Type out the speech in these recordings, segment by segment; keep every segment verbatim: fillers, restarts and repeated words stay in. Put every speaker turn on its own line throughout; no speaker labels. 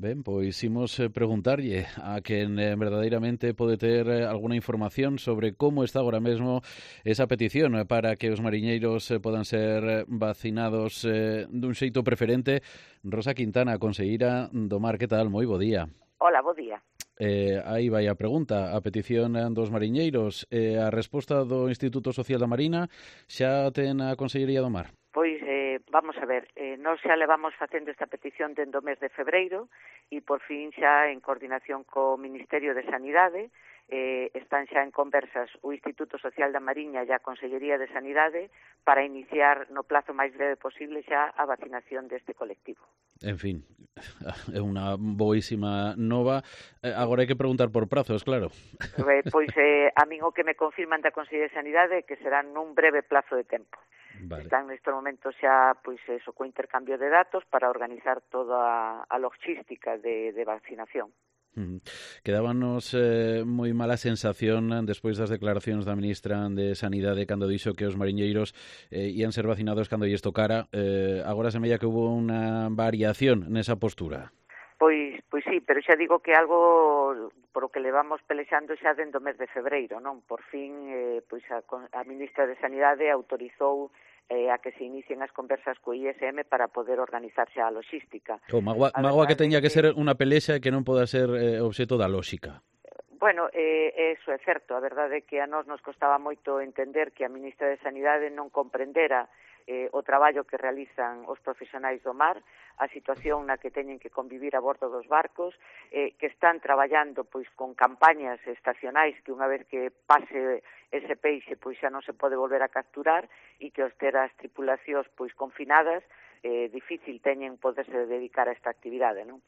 Ben, pois imos eh, preguntarlle a quen eh, verdadeiramente pode ter eh, alguna información sobre como está agora mesmo esa petición eh, para que os mariñeiros eh, podan ser eh, vacinados eh, dun xeito preferente. Rosa Quintana, conselleira do Mar, que tal? Moi bo día.
Hola, bo día.
Eh, aí vai a pregunta, a petición dos mariñeiros, eh, a resposta do Instituto Social da Marina xa ten a Consellería do Mar?
Pois, eh, vamos a ver, eh, nós xa levamos facendo esta petición dende o mes de febreiro e por fin xa en coordinación co Ministerio de Sanidade eh, están xa en conversas o Instituto Social da Mariña e a Consellería de Sanidade para iniciar no plazo máis breve posible xa a vacinación deste colectivo.
En fin, é unha boísima nova. Eh, agora hai que preguntar por prazos, claro.
Eh, pois eh, a min o que me confirman da Consellería de Sanidade é que será nun breve plazo de tempo. Vale. Están nestes momentos xa pois eso, co intercambio de datos para organizar toda a logística de, de vacinación.
Uh-huh. Quedábanos eh, moi mala sensación despois das declaracións da ministra de Sanidade cando dixo que os mariñeiros eh, ian ser vacinados cando lles tocara. Eh, agora semella que hubo unha variación nesa postura.
Pois, pois sí, pero xa digo que algo por o que levamos pelexando xa dentro do mes de febreiro, non? Por fin, eh, pois a, a ministra de Sanidade autorizou eh, a que se inicien as conversas co I S M para poder organizar xa a logística.
Oh, magua, magua que teña que ser unha pelexa que non poda ser eh, obxeto da lóxica.
Bueno, eh, eso é certo. A verdade é que a nós nos costaba moito entender que a ministra de Sanidade non comprendera eh, o traballo que realizan os profesionais do mar, a situación na que teñen que convivir a bordo dos barcos, eh, que están traballando pois con campañas estacionais que unha vez que pase ese peixe pois xa non se pode volver a capturar e que os ter as tripulacións pois confinadas eh, difícil teñen poderse dedicar a esta actividade, non?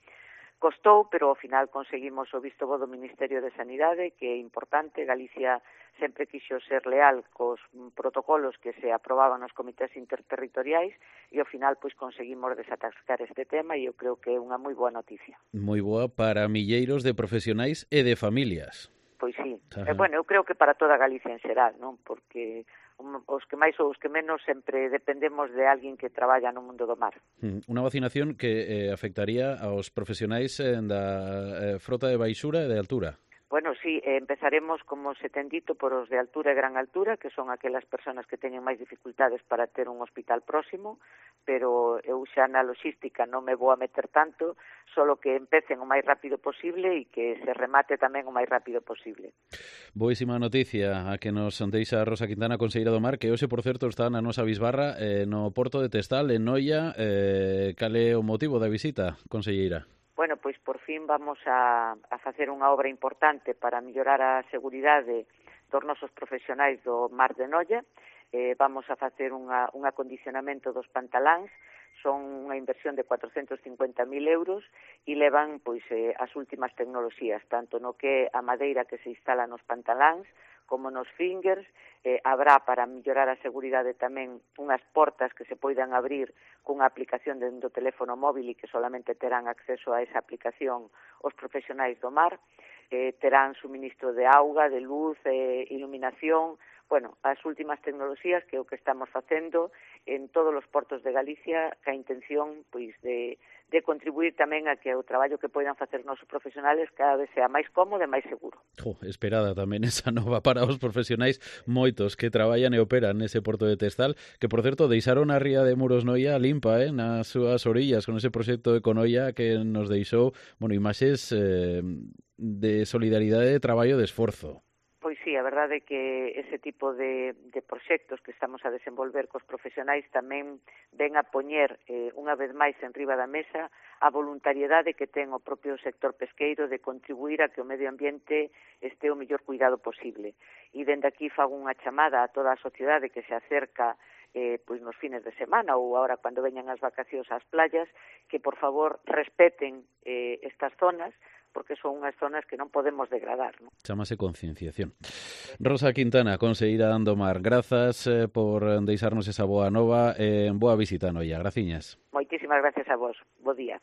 Costou, pero ao final conseguimos o visto bo do Ministerio de Sanidade, que é importante. Galicia sempre quixo ser leal cos protocolos que se aprobaban nos comités interterritoriais e ao final pois conseguimos desatascar este tema e eu creo que é unha moi boa noticia.
Moi boa para milleiros de profesionais e de familias.
Pois sí. Eh, bueno, eu creo que para toda Galicia en xeral, non? Porque os que máis ou os que menos sempre dependemos de alguén que traballa no mundo do mar.
Unha vacinación que eh, afectaría aos profesionais eh, da eh, frota de baixura e de altura.
Bueno, sí, eh, empezaremos, como se ten dito, por os de altura e gran altura, que son aquelas persoas que teñen máis dificultades para ter un hospital próximo, pero eu xa na logística non me vou a meter tanto, solo que empecen o máis rápido posible e que se remate tamén o máis rápido posible.
Boísima noticia a que nos deixa Rosa Quintana, conselleira do Mar, que hoxe, por certo, está na nosa bisbarra eh, no Porto de Testal, en Noia. Eh, cal é o motivo da visita, conselleira?
Bueno, pois por fin vamos a, a facer unha obra importante para mellorar a seguridade dos nosos profesionais do Mar de Noia. Eh, vamos a facer unha, un acondicionamento dos pantaláns, son unha inversión de cuatrocentos cincuenta mil euros e levan pois eh, as últimas tecnoloxías, tanto no que a madeira que se instala nos pantaláns, como nos fingers. Eh, habrá para mellorar a seguridade tamén unhas portas que se poidan abrir cunha aplicación dentro do teléfono móvil e que solamente terán acceso a esa aplicación os profesionais do mar. Eh, terán suministro de auga, de luz, eh, iluminación, bueno, as últimas tecnoloxías que é o que estamos facendo en todos os portos de Galicia, ca intención pois de, de contribuir tamén a que o traballo que poidan facer os nosos profesionales cada vez sea máis cómodo e máis seguro.
Jo, esperada tamén esa nova para os profesionais moitos que traballan e operan nese porto de Testal, que por certo deixaron a ría de Muros Noia limpa, eh, nas súas orillas con ese proxecto de Econoia que nos deixou, bueno, imaxes eh, de solidaridade, de traballo, de esforzo.
Pois sí, a verdade é que ese tipo de, de proxectos que estamos a desenvolver cos profesionais tamén ven a poñer eh, unha vez máis en riba da mesa a voluntariedade que ten o propio sector pesqueiro de contribuir a que o medio ambiente este o mellor cuidado posible. E dende aquí fago unha chamada a toda a sociedade que se acerca eh, pois nos fines de semana ou agora cando veñan as vacacións ás playas, que por favor respeten eh, estas zonas, porque son unhas zonas que non podemos degradar, non?
Chámase concienciación. Rosa Quintana, conselleira do Mar, grazas eh, por deixarnos esa boa nova e eh, boa visita a Noia. Graciñas.
Moitísimas gracias a vos. Bo día.